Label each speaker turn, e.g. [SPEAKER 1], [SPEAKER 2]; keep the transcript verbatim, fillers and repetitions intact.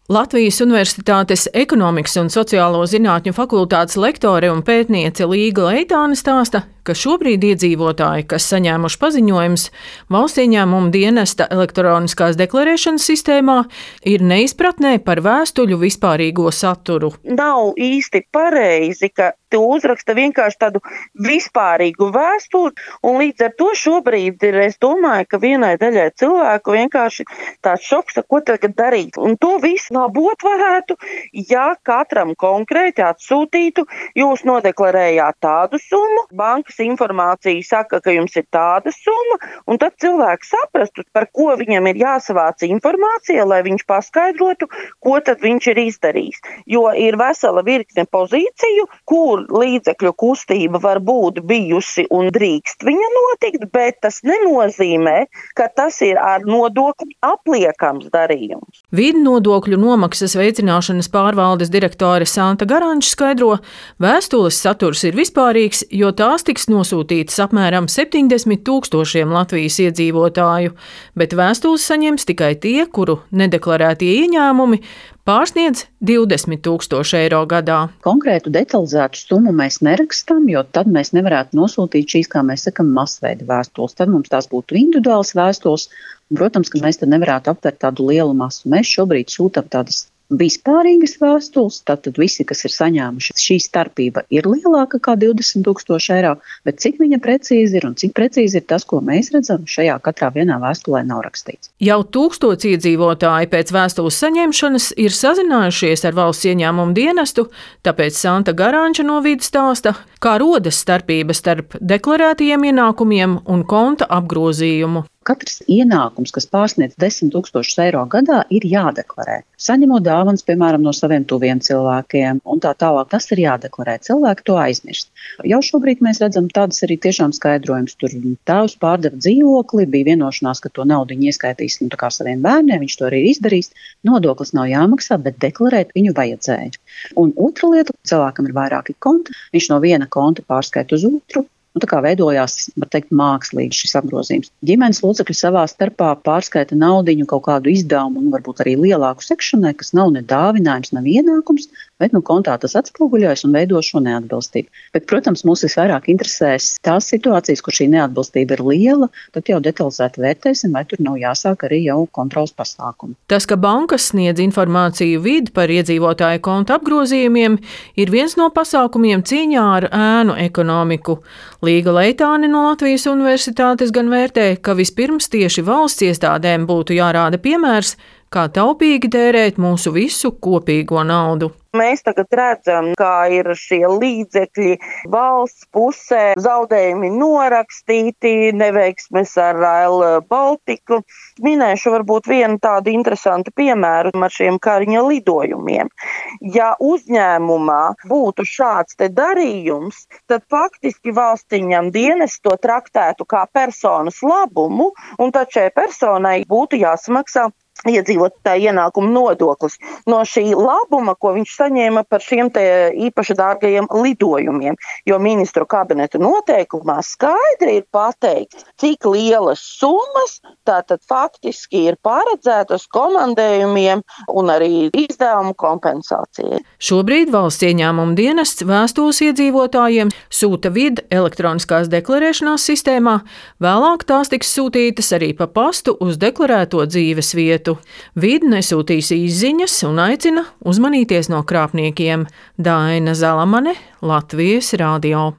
[SPEAKER 1] Latvijas Universitātes ekonomikas un sociālo zinātņu fakultātes lektore un pētniece Līga Leitāne stāsta, ka šobrīd iedzīvotāji, kas saņēmuši paziņojumus Valsts ieņēmuma dienesta elektroniskās deklarēšanas sistēmā, ir neizpratnē par vēstuļu vispārīgo saturu.
[SPEAKER 2] Nav īsti pareizi, ka tu uzraksta vienkārši tādu vispārīgu vēstuli, un līdz ar to šobrīd ir, es domāju, ka vienai daļai cilvēku vienkārši tāds šoks, ko tagad darīt. Un to visu labot varētu, ja katram konkrēti atsūtītu, jūs nodeklarējāt tādu summu, bankas informācija saka, ka jums ir tāda summa, un tad cilvēks saprastu, par ko viņam ir jāsavāc informācija, lai viņš paskaidrotu, ko tad viņš ir izdarījis. Jo ir vesela virkne pozīciju, kur līdzekļu kustība var būt bijusi un drīkst viņa notikt, bet tas nenozīmē, ka tas ir ar nodokļu apliekams darījums.
[SPEAKER 1] Vidu nodokļu nomaksas veicināšanas pārvaldes direktore Santa Garanča skaidro, vēstules saturs ir vispārīgs, jo tās tiks nosūtītas apmēram septiņdesmit tūkstošiem Latvijas iedzīvotāju, bet vēstules saņems tikai tie, kuru nedeklarētie ieņēmumi pārsniedz divdesmit tūkstoši eiro gadā.
[SPEAKER 3] Konkrētu detalizētu summu mēs nerakstām, jo tad mēs nevarētu nosūtīt šīs, kā mēs sakam, masveida vēstules. Tad mums tās būtu individuālas vēstules, un, protams, ka mēs tad nevarētu aptvert tādu lielu masu. Mēs šobrīd sūtam tādas vispārīgas vēstules, tātad visi, kas ir saņēmuši, šī starpība ir lielāka kā divdesmit tūkstoši eiro, bet cik viņa precīzi ir un cik precīzi ir tas, ko mēs redzam, šajā katrā vienā vēstulē nav rakstīts.
[SPEAKER 1] Jau tūkstots iedzīvotāji pēc vēstules saņemšanas ir sazinājušies ar Valsts ieņēmuma dienestu, tāpēc Santa Garanča no vides stāsta, kā rodas starpība starp deklarētajiem ienākumiem un konta apgrozījumu.
[SPEAKER 3] Katrs ienākums, kas pārsniedz desmit tūkstošus eiro gadā, ir jādeklarē. Saņemot dāvanas, piemēram, no saviem tuviem cilvēkiem un tā tālāk, tas ir jādeklarē. Cilvēki to aizmirst. Jau šobrīd mēs redzam tādas arī tiešām skaidrojums. Tur tēvs pārdeva dzīvokli, bija vienošanās, ka to naudu viņi ieskaitīs nu, tā kā saviem bērniem, viņš to arī ir izdarījis. Nodoklis nav jāmaksā, bet deklarēt viņu vajadzēja. Un otra lieta, cilvēkam ir vairāki konti, viņš no viena konta pārskaita uz otru. Nu, tā kā veidojās, var teikt, mākslīgi šis apgrozījums. Ģimenes locekļi savā starpā pārskaita naudiņu kaut kādu izdevumu un varbūt arī lielāku sekšanai, kas nav ne dāvinājums, nav ienākums, bet nu kontā tas atspoguļojas un veido šo neatbilstību. Bet, protams, mūs visvairāk interesēs tās situācijas, kur šī neatbilstība ir liela, tad jau detalizēti vērtēsim, vai tur nav jāsāk arī jau kontrols pasākumi.
[SPEAKER 1] Tas, ka bankas sniedz informāciju vidi par iedzīvotāju konta apgrozījumiem, ir viens no pasākumiem cīņā ar ēnu ekonomiku. Līga Leitāne no Latvijas Universitātes gan vērtē, ka vispirms tieši valsts iestādēm būtu jārāda piemērs, kā taupīgi tērēt mūsu visu kopīgo naudu.
[SPEAKER 2] Mēs tagad redzam, kā ir šie līdzekļi valsts pusē, zaudējumi norakstīti, neveiksmes ar Rail Baltiku. Minēšu varbūt vienu tādu interesantu piemēru ar šiem Kariņa lidojumiem. Ja uzņēmumā būtu šāds te darījums, tad faktiski valsts ieņēmuma dienests to traktētu kā personas labumu, un tad šai personai būtu jāsamaksā iedzīvotāju ienākumu nodoklis no šī labuma, ko viņš saņēma par šiem te īpaši dārgajiem lidojumiem. Jo ministru kabineta noteikumā skaidri ir pateikts, cik lielas summas tātad faktiski ir paredzētas komandējumiem un arī izdevumu kompensācijai.
[SPEAKER 1] Šobrīd Valsts ieņēmuma dienests vēstules iedzīvotājiem sūta vidi elektroniskās deklarēšanās sistēmā, vēlāk tās tiks sūtītas arī pa pastu uz deklarēto dzīves vietu. Vidi nesūtīs izziņas un aicina uzmanīties no krāpniekiem. Daina Zalamane, Latvijas radio.